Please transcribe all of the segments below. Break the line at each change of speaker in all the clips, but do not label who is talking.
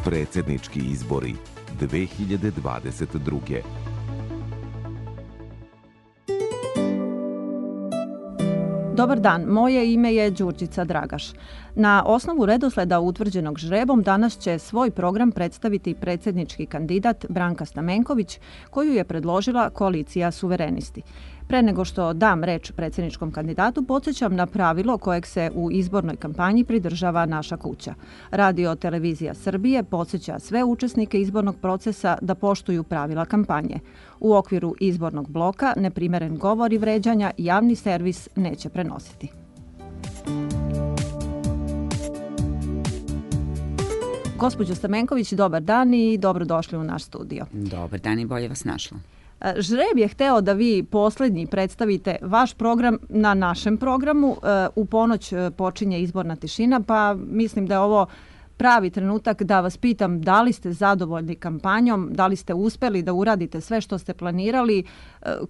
Predsjednički izbori 2022.
Dobar dan, moje ime je Đurđica Dragaš. Na osnovu redosleda utvrđenog žrebom danas će svoj program predstaviti predsjednički kandidat Branka Stamenković, koju je predložila koalicija Suverenisti. Pre nego što dam reč predsjedničkom kandidatu, podsjećam na pravilo kojeg se u izbornoj kampanji pridržava naša kuća. Radio Televizija Srbije podsjeća sve učesnike izbornog procesa da poštuju pravila kampanje. U okviru izbornog bloka neprimeren govor i vređanja javni servis neće prenositi. Gospođo Stamenković, dobar dan i dobrodošli u naš studio.
Dobar dan i bolje vas našla.
Žreb je hteo da vi posljednji predstavite vaš program na našem programu. U ponoć počinje izborna tišina, pa mislim da je ovo pravi trenutak da vas pitam da li ste zadovoljni kampanjom, da li ste uspjeli da uradite sve što ste planirali,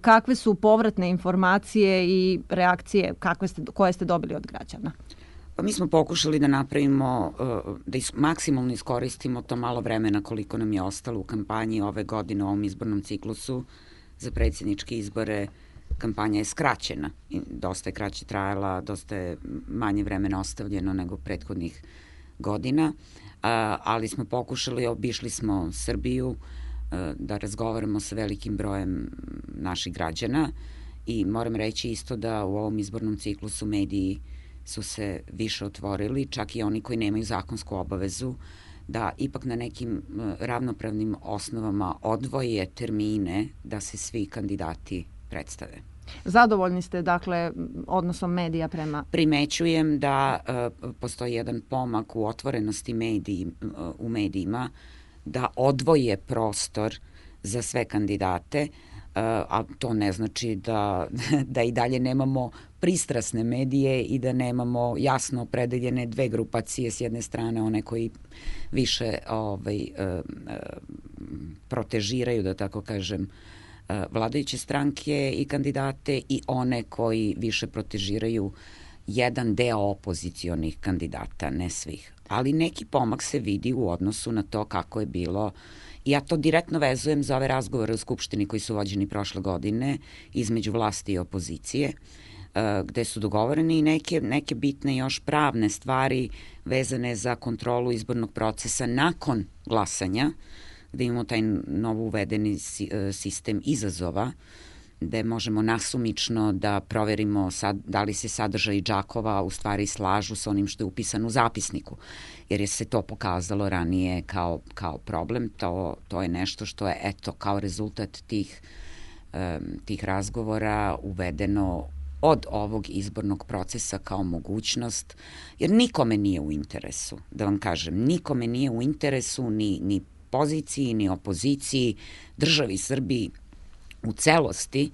kakve su povratne informacije i reakcije koje ste dobili od građana?
Pa mi smo pokušali da napravimo, da maksimalno iskoristimo to malo vremena koliko nam je ostalo u kampanji ove godine u ovom izbornom ciklusu za predsjedničke izbore. Kampanja je skraćena, dosta je kraće trajala, dosta je manje vremena ostavljeno nego prethodnih godina, ali smo pokušali, obišli smo Srbiju da razgovaramo sa velikim brojem naših građana i moram reći isto da u ovom izbornom ciklusu mediji su se više otvorili, čak i oni koji nemaju zakonsku obavezu da ipak na nekim ravnopravnim osnovama odvoje termine da se svi kandidati predstave.
Zadovoljni ste, dakle, odnosom medija prema...
Primećujem da postoji jedan pomak u otvorenosti u medijima, da odvoje prostor za sve kandidate, a to ne znači da i dalje nemamo pristrasne medije i da nemamo jasno opredeljene dve grupacije, s jedne strane one koji više protežiraju, da tako kažem, vladajuće stranke i kandidate i one koji više protežiraju jedan deo opozicionih kandidata, ne svih. Ali neki pomak se vidi u odnosu na to kako je bilo. Ja to direktno vezujem za ove razgovore u Skupštini koji su vođeni prošle godine između vlasti i opozicije, gde su dogovoreni i neke bitne još pravne stvari vezane za kontrolu izbornog procesa nakon glasanja, gde imamo taj novo uvedeni sistem izazova, gde možemo nasumično da proverimo da li se sadržaj džakova u stvari slažu sa onim što je upisano u zapisniku, jer je se to pokazalo ranije kao problem. To je nešto što je kao rezultat tih razgovora uvedeno od ovog izbornog procesa kao mogućnost, jer nikome nije u interesu, da vam kažem, nikome nije u interesu ni poziciji, ni opoziciji, državi Srbiji u celosti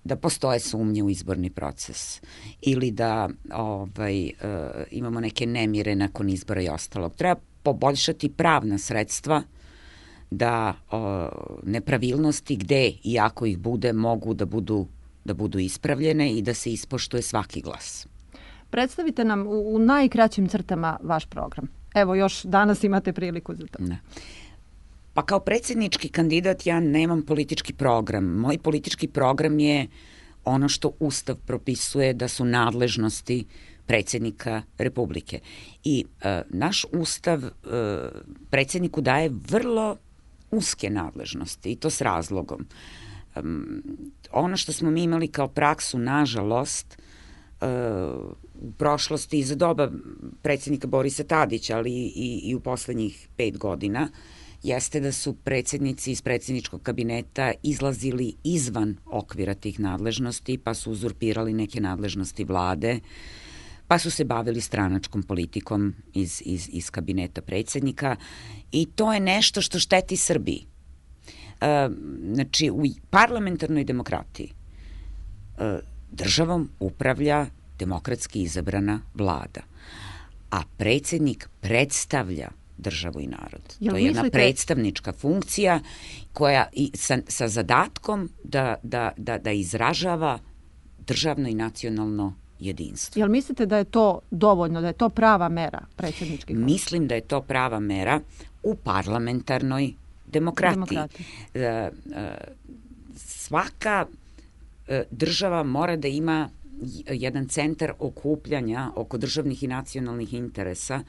da postoje sumnje u izborni proces ili da imamo neke nemire nakon izbora i ostalog. Treba poboljšati pravna sredstva da nepravilnosti gde i ako ih bude mogu da budu ispravljene i da se ispoštuje svaki glas.
Predstavite nam u najkraćim crtama vaš program. Evo, još danas imate priliku za to.
Ne. Pa kao predsjednički kandidat ja nemam politički program. Moj politički program je ono što Ustav propisuje da su nadležnosti predsjednika Republike. I naš Ustav predsjedniku daje vrlo uske nadležnosti i to s razlogom. Ono što smo mi imali kao praksu, nažalost, u prošlosti i za doba predsjednika Borisa Tadića, ali i u poslednjih 5 godina, jeste da su predsjednici iz predsjedničkog kabineta izlazili izvan okvira tih nadležnosti, pa su uzurpirali neke nadležnosti vlade, pa su se bavili stranačkom politikom iz kabineta predsjednika i to je nešto što šteti Srbiji. Znači, u parlamentarnoj demokratiji državom upravlja demokratski izabrana vlada, a predsjednik predstavlja državu i narod. To je jedna predstavnička funkcija koja sa zadatkom da izražava državno i nacionalno jedinstvo.
Jel mislite da je to dovoljno, da je to prava mera predsjedničkih?
Mislim da je to prava mera u parlamentarnoj demokratiji. Svaka država mora da ima jedan centar okupljanja oko državnih i nacionalnih interesa,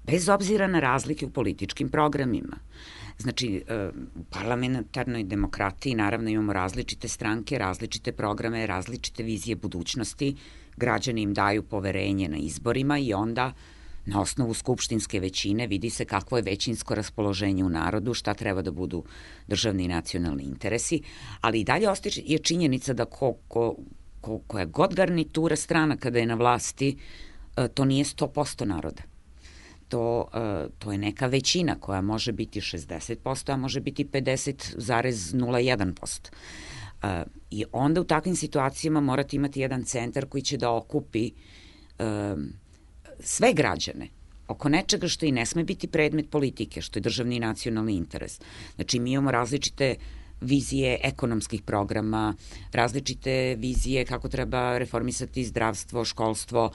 bez obzira na razlike u političkim programima. Znači, u parlamentarnoj demokratiji naravno imamo različite stranke, različite programe, različite vizije budućnosti, građani im daju poverenje na izborima i onda na osnovu skupštinske većine vidi se kakvo je većinsko raspoloženje u narodu, šta treba da budu državni i nacionalni interesi, ali i dalje ostaje činjenica da koja god garnitura strana kada je na vlasti, to nije 100% naroda. To je neka većina koja može biti 60%, a može biti 50,01%. I onda u takvim situacijama morate imati jedan centar koji će da okupi sve građane oko nečega što i ne sme biti predmet politike, što je državni i nacionalni interes. Znači, mi imamo različite vizije ekonomskih programa, različite vizije kako treba reformisati zdravstvo, školstvo,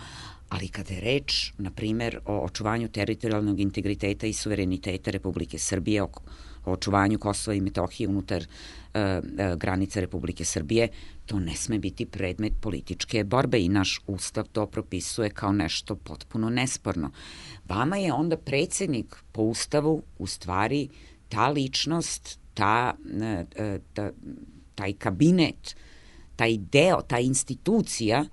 ali kada je reč, na primer, o očuvanju teritorijalnog integriteta i suvereniteta Republike Srbije, o očuvanju Kosova i Metohije unutar granica Republike Srbije, to ne sme biti predmet političke borbe i naš ustav to propisuje kao nešto potpuno nesporno. Vama je onda predsjednik po ustavu u stvari ta ličnost, taj kabinet, taj deo, ta institucija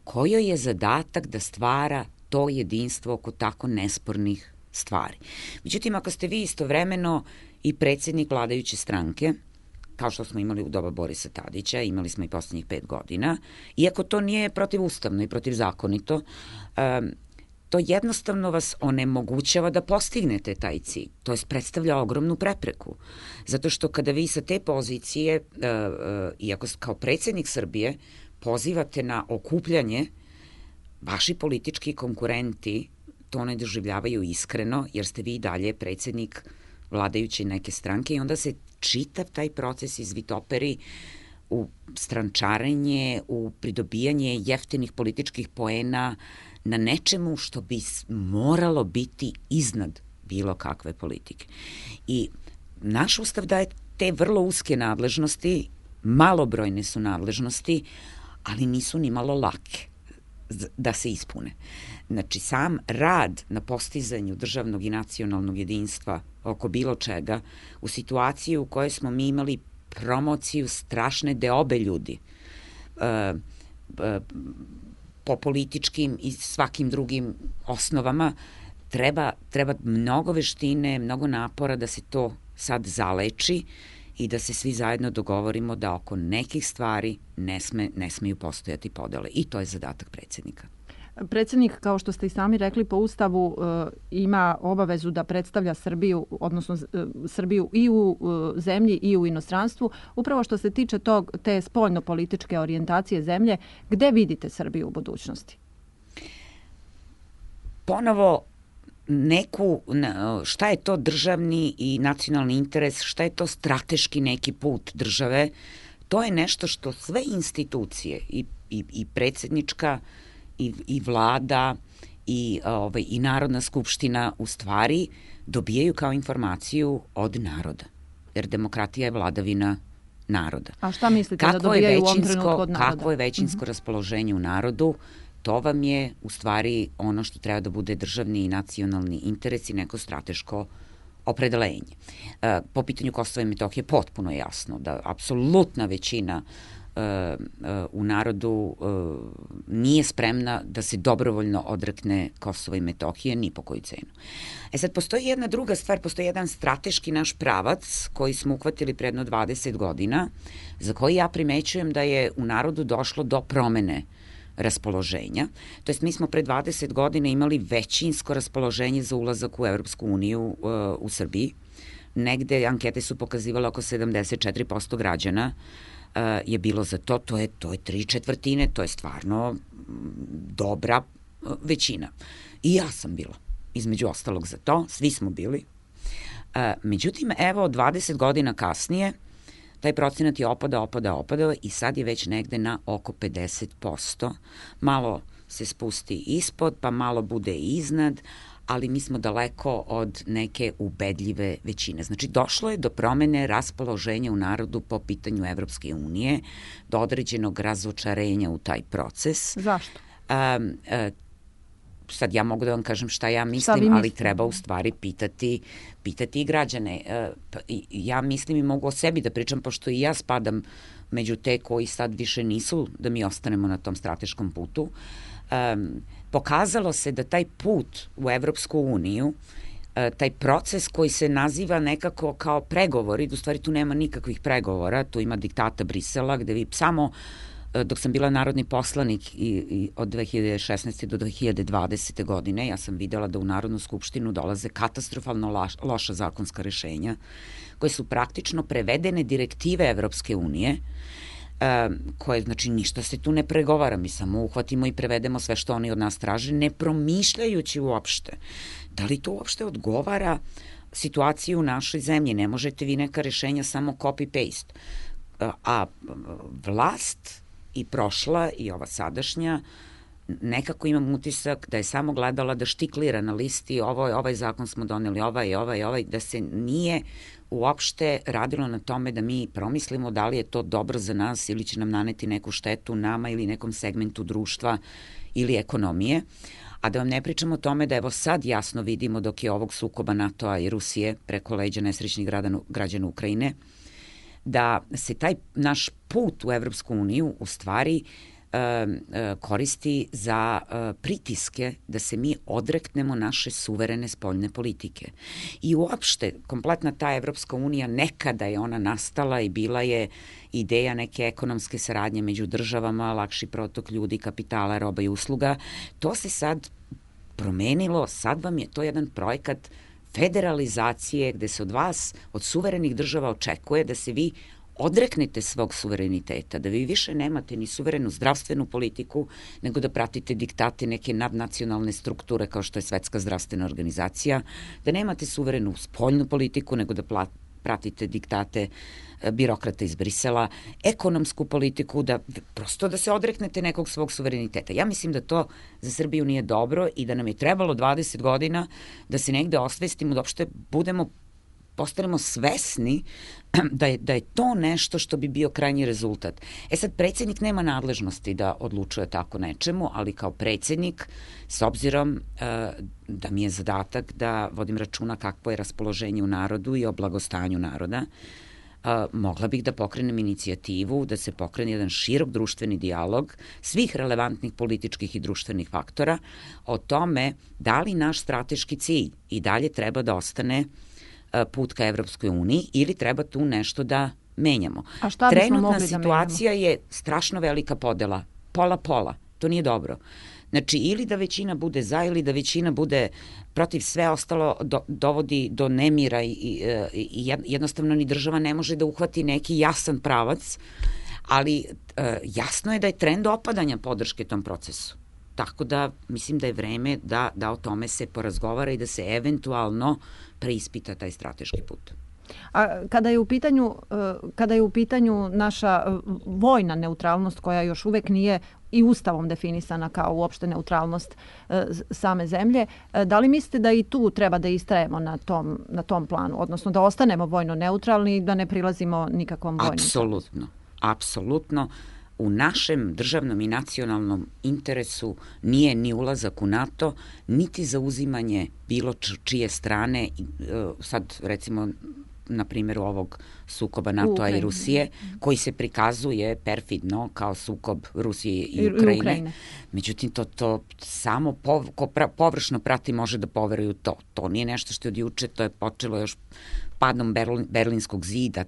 kojoj je zadatak da stvara to jedinstvo oko tako nespornih stvari. Međutim, ako ste vi istovremeno i predsjednik vladajuće stranke, kao što smo imali u doba Borisa Tadića, imali smo i poslednjih 5 godina, iako to nije protivustavno i protivzakonito, to jednostavno vas onemogućava da postignete taj cilj. To je predstavlja ogromnu prepreku. Zato što kada vi sa te pozicije, iako kao predsjednik Srbije, pozivate na okupljanje, vaši politički konkurenti to ne doživljavaju iskreno, jer ste vi i dalje predsjednik vladajuće neke stranke i onda se čitav taj proces izvitoperi u strančarenje, u pridobijanje jeftinih političkih poena na nečemu što bi moralo biti iznad bilo kakve politike. I naš ustav daje te vrlo uske nadležnosti, malobrojne su nadležnosti, ali nisu ni malo lake da se ispune. Znači, sam rad na postizanju državnog i nacionalnog jedinstva oko bilo čega, u situaciji u kojoj smo mi imali promociju strašne deobe ljudi, po političkim i svakim drugim osnovama, treba mnogo veštine, mnogo napora da se to sad zaleči i da se svi zajedno dogovorimo da oko nekih stvari ne smeju postojati podele. I to je zadatak predsjednika.
Predsjednik, kao što ste i sami rekli, po Ustavu ima obavezu da predstavlja Srbiju, odnosno Srbiju i u zemlji i u inostranstvu. Upravo što se tiče te spoljno-političke orijentacije zemlje, gde vidite Srbiju u budućnosti?
Ponovo, šta je to državni i nacionalni interes, šta je to strateški neki put države, to je nešto što sve institucije i predsjednička i vlada i Narodna skupština u stvari dobijaju kao informaciju od naroda. Jer demokratija je vladavina naroda.
A šta mislite da dobijaju u ovom trenutku od naroda?
Kako je većinsko raspoloženje u narodu, to vam je u stvari ono što treba da bude državni i nacionalni interes i neko strateško opredelenje. Po pitanju Kosova i Metohije potpuno je jasno da apsolutna većina u narodu nije spremna da se dobrovoljno odrekne Kosova i Metohije ni po koju cenu. Sad, postoji jedna druga stvar, postoji jedan strateški naš pravac koji smo uhvatili pre jedno 20 godina, za koji ja primećujem da je u narodu došlo do promene raspoloženja. To jest, mi smo pre 20 godina imali većinsko raspoloženje za ulazak u Evropsku uniju u Srbiji. Negde ankete su pokazivale oko 74% građana je bilo za to. To je 3/4, to je stvarno dobra većina. I ja sam bila, između ostalog, za to. Svi smo bili. Međutim, evo, 20 godina kasnije, taj procenat je opadao i sad je već negde na oko 50%. Malo se spusti ispod, pa malo bude iznad, ali mi smo daleko od neke ubedljive većine. Znači, došlo je do promene raspoloženja u narodu po pitanju Evropske unije, do određenog razočarenja u taj proces.
Zašto?
Sad ja mogu da vam kažem šta ja mislim, ali treba u stvari pitati i građane. Ja mislim i mogu o sebi da pričam, pošto i ja spadam među te koji sad više nisu da mi ostanemo na tom strateškom putu. Pokazalo se da taj put u Evropsku uniju, taj proces koji se naziva nekako kao pregovori, da u stvari tu nema nikakvih pregovora, tu ima diktata Brisela, gde vi samo, dok sam bila narodni poslanik i od 2016. do 2020. godine, ja sam videla da u Narodnu skupštinu dolaze katastrofalno loša zakonska rešenja, koje su praktično prevedene direktive Evropske unije, koje, znači, ništa se tu ne pregovara, mi samo uhvatimo i prevedemo sve što oni od nas traže, ne promišljajući uopšte. Da li to uopšte odgovara situaciji u našoj zemlji? Ne možete vi neka rešenja samo copy-paste. A vlast i prošla i ova sadašnja, nekako imam utisak da je samo gledala da štiklira na listi ovaj zakon smo doneli, ovaj, da se nije uopšte radilo na tome da mi promislimo da li je to dobro za nas ili će nam naneti neku štetu nama ili nekom segmentu društva ili ekonomije. A da vam ne pričamo o tome da evo sad jasno vidimo dok je ovog sukoba NATO-a i Rusije preko leđa nesrećnih građana Ukrajine, da se taj naš put u Evropsku uniju u stvari koristi za pritiske da se mi odreknemo naše suverene spoljne politike. I uopšte, kompletna ta Evropska unija, nekada je ona nastala i bila je ideja neke ekonomske saradnje među državama, lakši protok ljudi, kapitala, roba i usluga. To se sad promenilo, sad vam je to jedan projekat federalizacije gde se od vas, od suverenih država očekuje da se vi odreknete svog suvereniteta, da vi više nemate ni suverenu zdravstvenu politiku, nego da pratite diktate neke nadnacionalne strukture kao što je Svetska zdravstvena organizacija, da nemate suverenu spoljnu politiku, nego da pratite diktate birokrata iz Brisela, ekonomsku politiku, da prosto da se odreknete nekog svog suvereniteta. Ja mislim da to za Srbiju nije dobro i da nam je trebalo 20 godina da se negde osvestimo, da uopšte postanemo svesni da je to nešto što bi bio krajnji rezultat. Sad, predsjednik nema nadležnosti da odlučuje tako nečemu, ali kao predsjednik, s obzirom da mi je zadatak da vodim računa kakvo je raspoloženje u narodu i o blagostanju naroda, mogla bih da pokrenem inicijativu, da se pokrene jedan širok društveni dijalog svih relevantnih političkih i društvenih faktora o tome da li naš strateški cilj i dalje treba da ostane put ka Evropskoj uniji ili treba tu nešto da menjamo.
A šta bismo mogli da menjamo?
Trenutna situacija je strašno velika podela, pola, to nije dobro. Znači, ili da većina bude za, ili da većina bude protiv, sve ostalo dovodi do nemira i jednostavno ni država ne može da uhvati neki jasan pravac, ali jasno je da je trend opadanja podrške tom procesu. Tako da mislim da je vreme da o tome se porazgovara i da se eventualno preispita taj strateški put.
A kada je u pitanju naša vojna neutralnost, koja još uvek nije i ustavom definisana kao uopšte neutralnost same zemlje, da li mislite da i tu treba da istrajemo na tom planu, odnosno da ostanemo vojno neutralni i da ne prilazimo nikakvom vojnom?
Apsolutno. U našem državnom i nacionalnom interesu nije ni ulazak u NATO, niti zauzimanje bilo čije strane, sad recimo na primjeru ovog sukoba NATO-a i Rusije, koji se prikazuje perfidno kao sukob Rusije i Ukrajine. Međutim, to samo ko površno prati može da poveruje u to. To nije nešto što je od juče, to je počelo još padom Berlinskog zida,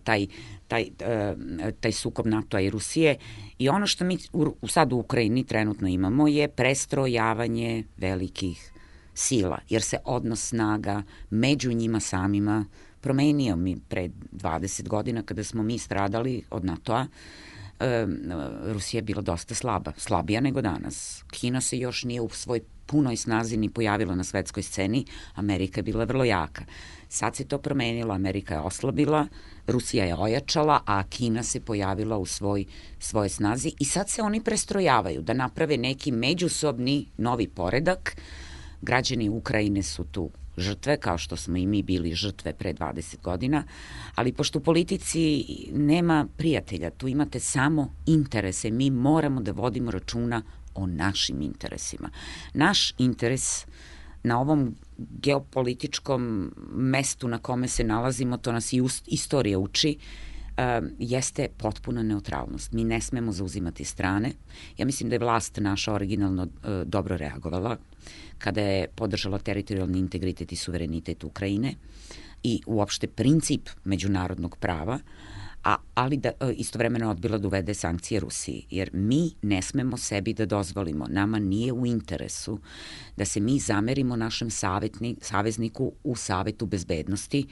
taj sukob NATO-a i Rusije. I ono što mi sad u Ukrajini trenutno imamo je prestrojavanje velikih sila, jer se odnos snaga među njima samima promenio. Mi pre 20 godina kada smo mi stradali od NATO-a, Rusija je bila dosta slabija nego danas. Kina se još nije u svoj punoj snazi ni pojavilo na svetskoj sceni, Amerika je bila vrlo jaka. Sad se to promenilo, Amerika je oslabila, Rusija je ojačala, a Kina se pojavila u svoje snazi i sad se oni prestrojavaju da naprave neki međusobni novi poredak. Građani Ukrajine su tu žrtve, kao što smo i mi bili žrtve pre 20 godina, ali pošto u politici nema prijatelja, tu imate samo interese, mi moramo da vodimo računa o našim interesima. Naš interes na ovom geopolitičkom mestu na kome se nalazimo, to nas i istorija uči, jeste potpuna neutralnost. Mi ne smemo zauzimati strane. Ja mislim da je vlast naša originalno dobro reagovala kada je podržala teritorijalni integritet i suverenitet Ukrajine i uopšte princip međunarodnog prava, ali da istovremeno odbila da uvede sankcije Rusiji, jer mi ne smemo sebi da dozvolimo, nama nije u interesu da se mi zamerimo našem savezniku u Savetu bezbednosti,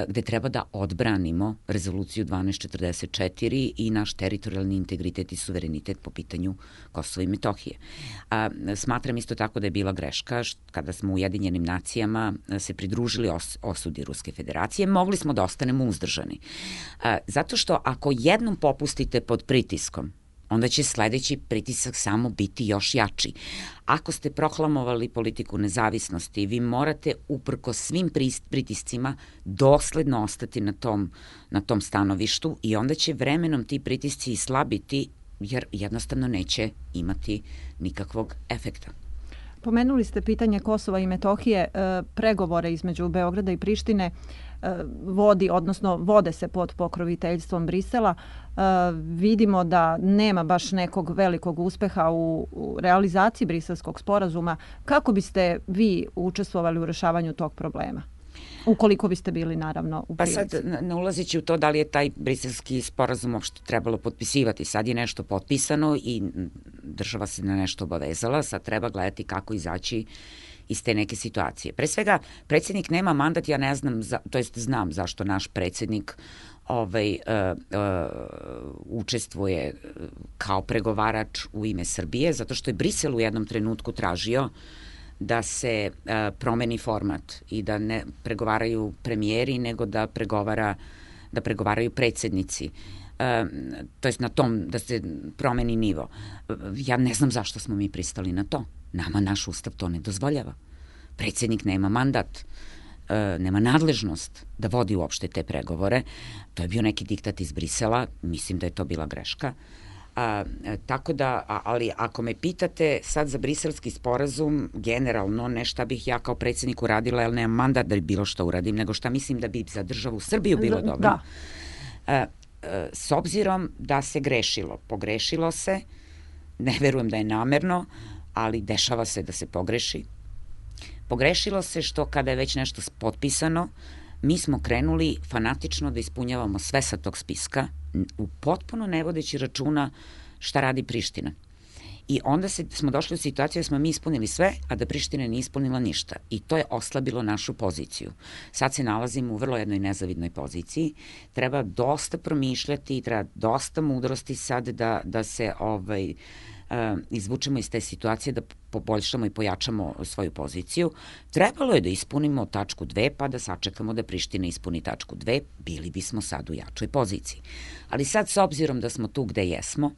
gde treba da odbranimo rezoluciju 1244 i naš teritorijalni integritet i suverenitet po pitanju Kosova i Metohije. Smatram isto tako da je bila greška kada smo u Ujedinjenim nacijama se pridružili osudi Ruske federacije, mogli smo da ostanemo uzdržani. Zato što ako jednom popustite pod pritiskom, onda će sledeći pritisak samo biti još jači. Ako ste proklamovali politiku nezavisnosti, vi morate uprkos svim pritiscima dosledno ostati na tom stanovištu i onda će vremenom ti pritisci i slabiti, jer jednostavno neće imati nikakvog efekta.
Pomenuli ste pitanje Kosova i Metohije, pregovore između Beograda i Prištine vode se pod pokroviteljstvom Brisela. Vidimo da nema baš nekog velikog uspeha u realizaciji Briselskog sporazuma. Kako biste vi učestvovali u rešavanju tog problema? Ukoliko biste bili, naravno, u prilici.
Pa sad, ne ulazeći u to da li je taj briselski sporazum uopšte trebalo potpisivati. Sad je nešto potpisano i država se na nešto obavezala. Sad treba gledati kako izaći iz te neke situacije. Pre svega, predsjednik nema mandat, ja ne znam, znam zašto naš predsjednik učestvuje kao pregovarač u ime Srbije, zato što je Brisel u jednom trenutku tražio da se promeni format i da ne pregovaraju premijeri, nego da pregovaraju predsjednici. To jest na tom da se promeni nivo. Ja ne znam zašto smo mi pristali na to. Nama naš ustav to ne dozvoljava. Predsjednik nema mandat, nema nadležnost da vodi uopšte te pregovore. To je bio neki diktat iz Brisela, mislim da je to bila greška. Tako da, ali ako me pitate sad za briselski sporazum, generalno ne šta bih ja kao predsjednik uradila, jer nemam mandat da bilo šta uradim, nego šta mislim da bi za državu Srbiju bilo dobro. Da. S obzirom da se pogrešilo se, ne verujem da je namerno, ali dešava se da se pogreši. Pogrešilo se što kada je već nešto potpisano, mi smo krenuli fanatično da ispunjavamo sve sa tog spiska, u potpuno ne vodeći računa šta radi Priština. I onda smo došli u situaciju da smo mi ispunili sve, a da Priština nije ispunila ništa. I to je oslabilo našu poziciju. Sad se nalazimo u vrlo jednoj nezavidnoj poziciji. Treba dosta promišljati, treba dosta mudrosti sad da se izvučemo iz te situacije, da poboljšamo i pojačamo svoju poziciju. Trebalo je da ispunimo tačku 2, pa da sačekamo da Priština ispuni tačku 2, bili bismo sad u jačoj poziciji. Ali sad, s obzirom da smo tu gde jesmo,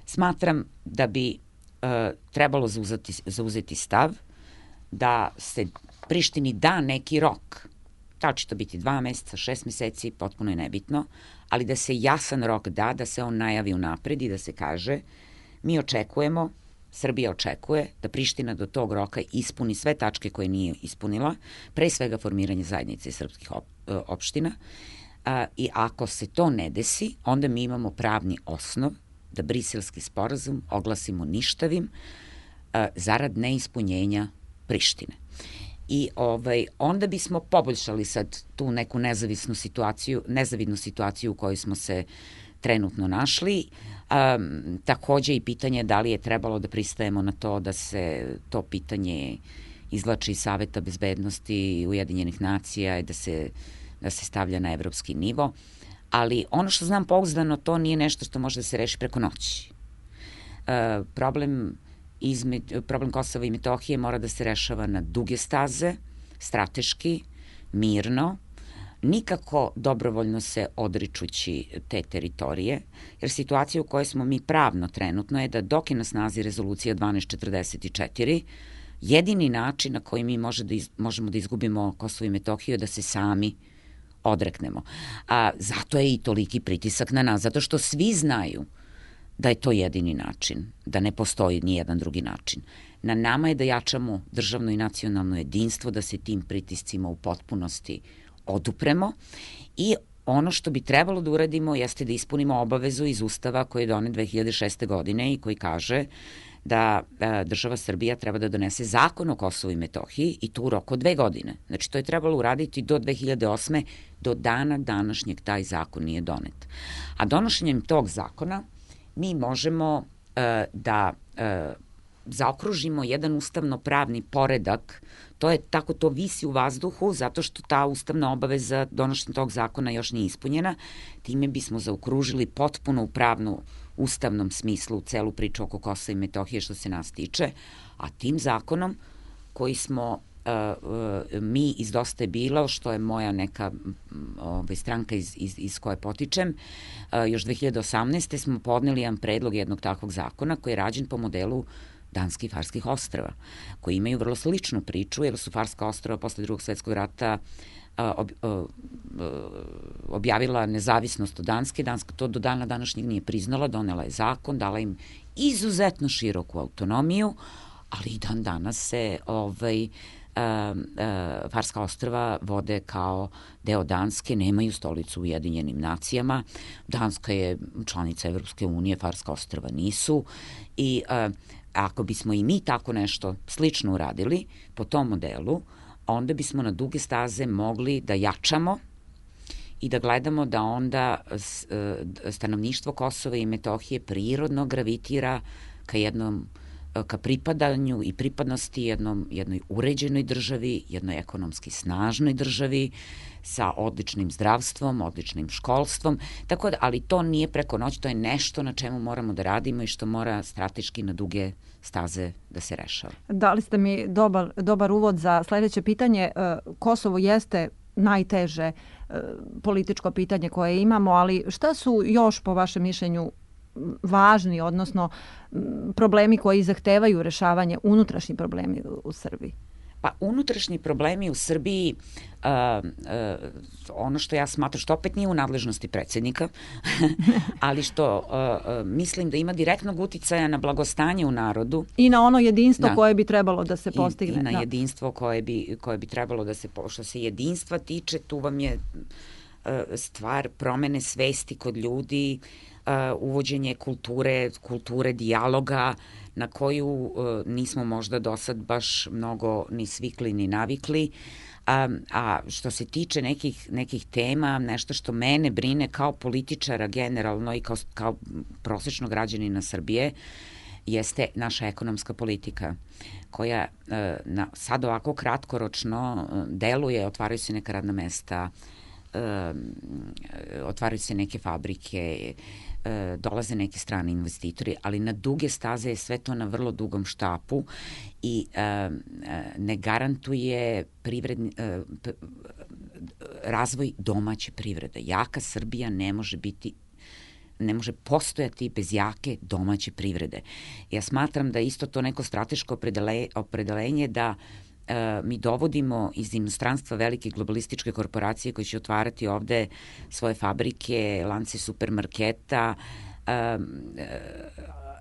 smatram da bi trebalo zauzeti stav da se Prištini da neki rok. Da li će to biti 2 meseca, 6 meseci, potpuno je nebitno, ali da se jasan rok da se on najavi unapred i da se kaže mi očekujemo, Srbija očekuje da Priština do tog roka ispuni sve tačke koje nije ispunila, pre svega formiranje zajednice srpskih opština, i ako se to ne desi, onda mi imamo pravni osnov da briselski sporazum oglasimo ništavim zarad neispunjenja Prištine. I onda bismo poboljšali sad tu neku nezavidnu situaciju u kojoj smo se trenutno našli. Takođe i pitanje da li je trebalo da pristajemo na to da se to pitanje izvlači iz Saveta bezbednosti Ujedinjenih nacija i da se stavlja na evropski nivo. Ali ono što znam pouzdano, to nije nešto što može da se reši preko noći. Problem problem Kosova i Metohije mora da se rešava na duge staze, strateški, mirno, nikako dobrovoljno se odričući te teritorije, jer situacija u kojoj smo mi pravno trenutno je da dok je na snazi rezolucija 1244, jedini način na koji mi možemo da izgubimo Kosovo i Metohiju je da se sami odreknemo. A zato je i toliki pritisak na nas, zato što svi znaju da je to jedini način, da ne postoji ni jedan drugi način. Na nama je da jačamo državno i nacionalno jedinstvo, da se tim pritiscima u potpunosti odupremo i ono što bi trebalo da uradimo jeste da ispunimo obavezu iz Ustava koji je donet 2006. godine i koji kaže da država Srbija treba da donese zakon o Kosovu i Metohiji i to u roku od 2 godine. Znači to je trebalo uraditi do 2008. Do dana današnjeg taj zakon nije donet. A donošenjem tog zakona mi možemo da zaokružimo jedan ustavno-pravni poredak. Tako to visi u vazduhu zato što ta ustavna obaveza donošenja tog zakona još nije ispunjena. Time bismo zaokružili potpuno u pravnu ustavnom smislu celu priču oko Kosova i Metohije što se nas tiče, a tim zakonom koji smo mi iz Dosta je bilo, što je moja neka stranka iz koje potičem, još 2018. smo podneli jedan predlog jednog takvog zakona koji je rađen po modelu Danskih i Farskih ostrava, koji imaju vrlo sličnu priču, jer su Farska ostrava posle Drugog svetskog rata objavila nezavisnost od Danske. Danska to do dana današnjeg nije priznala, donela je zakon, dala im izuzetno široku autonomiju, ali i dan danas se Farska ostrva vode kao deo Danske, nemaju stolicu u Ujedinjenim nacijama. Danska je članica Evropske unije, Farska ostrva nisu i ako bismo i mi tako nešto slično uradili po tom modelu, onda bismo na duge staze mogli da jačamo i da gledamo da onda stanovništvo Kosova i Metohije prirodno gravitira ka pripadanju i pripadnosti jednoj uređenoj državi, jednoj ekonomski snažnoj državi sa odličnim zdravstvom, odličnim školstvom, tako da, ali to nije preko noći, to je nešto na čemu moramo da radimo i što mora strateški na duge staze da se rešava.
Dali ste mi dobar uvod za sledeće pitanje. Kosovo jeste najteže političko pitanje koje imamo, ali šta su još po vašem mišljenju važni, odnosno problemi koji zahtevaju rešavanje, unutrašnji problemi u Srbiji?
Pa unutrašnji problemi u Srbiji, ono što ja smatram, što opet nije u nadležnosti predsjednika, ali što mislim da ima direktnog uticaja na blagostanje u narodu.
I na ono jedinstvo koje bi trebalo da se postigne.
I na jedinstvo koje bi trebalo da se, što se jedinstva tiče, tu vam je stvar promene svesti kod ljudi, uvođenje kulture dijaloga na koju nismo možda do sad baš mnogo ni svikli ni navikli. A što se tiče nekih tema, nešto što mene brine kao političara generalno i kao prosječnog građanina Srbije, jeste naša ekonomska politika koja sad ovako kratkoročno deluje, otvaraju se neka radna mesta, otvaraju se neke fabrike, dolaze neki strani investitori, ali na duge staze je sve to na vrlo dugom štapu i ne garantuje razvoj domaće privrede. Jaka Srbija ne može postojati bez jake domaće privrede. Ja smatram da isto to neko strateško opredelenje da mi dovodimo iz inostranstva velike globalističke korporacije koje će otvarati ovde svoje fabrike, lance supermarketa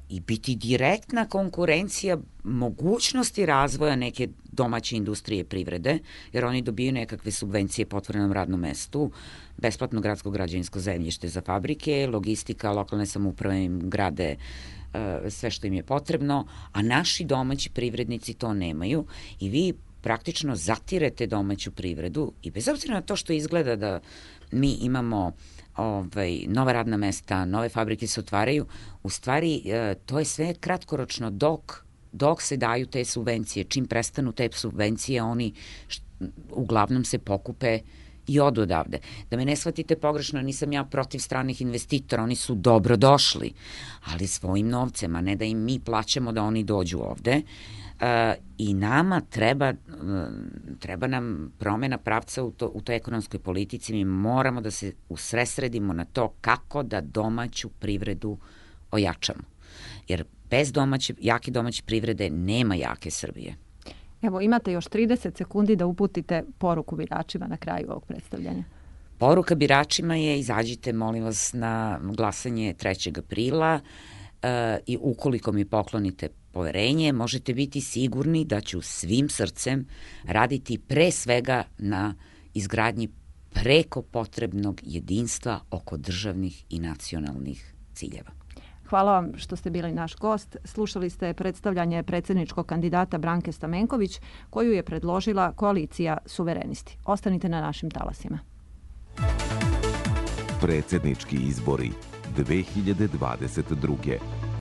i biti direktna konkurencija mogućnosti razvoja neke domaće industrije privrede, jer oni dobiju nekakve subvencije po otvorenom radnom mestu, besplatno gradsko građevinsko zemljište za fabrike, logistika, lokalne samouprave im grade sve što im je potrebno, a naši domaći privrednici to nemaju i vi praktično zatirete domaću privredu i bez obzira na to što izgleda da mi imamo nova radna mesta, nove fabrike se otvaraju, u stvari to je sve kratkoročno dok se daju te subvencije. Čim prestanu te subvencije, oni uglavnom se pokupe i odu odavde. Da me ne shvatite pogrešno, nisam ja protiv stranih investitora, oni su dobro došli, ali svojim novcem, a ne da im mi plaćamo da oni dođu ovde. I nama treba nam promena pravca u toj ekonomskoj politici. Mi moramo da se usredsredimo na to kako da domaću privredu ojačamo. Jer bez jake domaće privrede nema jake Srbije.
Evo, imate još 30 sekundi da uputite poruku biračima na kraju ovog predstavljanja.
Poruka biračima je: izađite, molim vas, na glasanje 3. aprila i ukoliko mi poklonite poverenje, možete biti sigurni da ću svim srcem raditi pre svega na izgradnji preko potrebnog jedinstva oko državnih i nacionalnih ciljeva.
Hvala vam što ste bili naš gost. Slušali ste predstavljanje predsjedničkog kandidata Branke Stamenković, koju je predložila koalicija Suverenisti. Ostanite na našim talasima.
Predsjednički izbori 2022.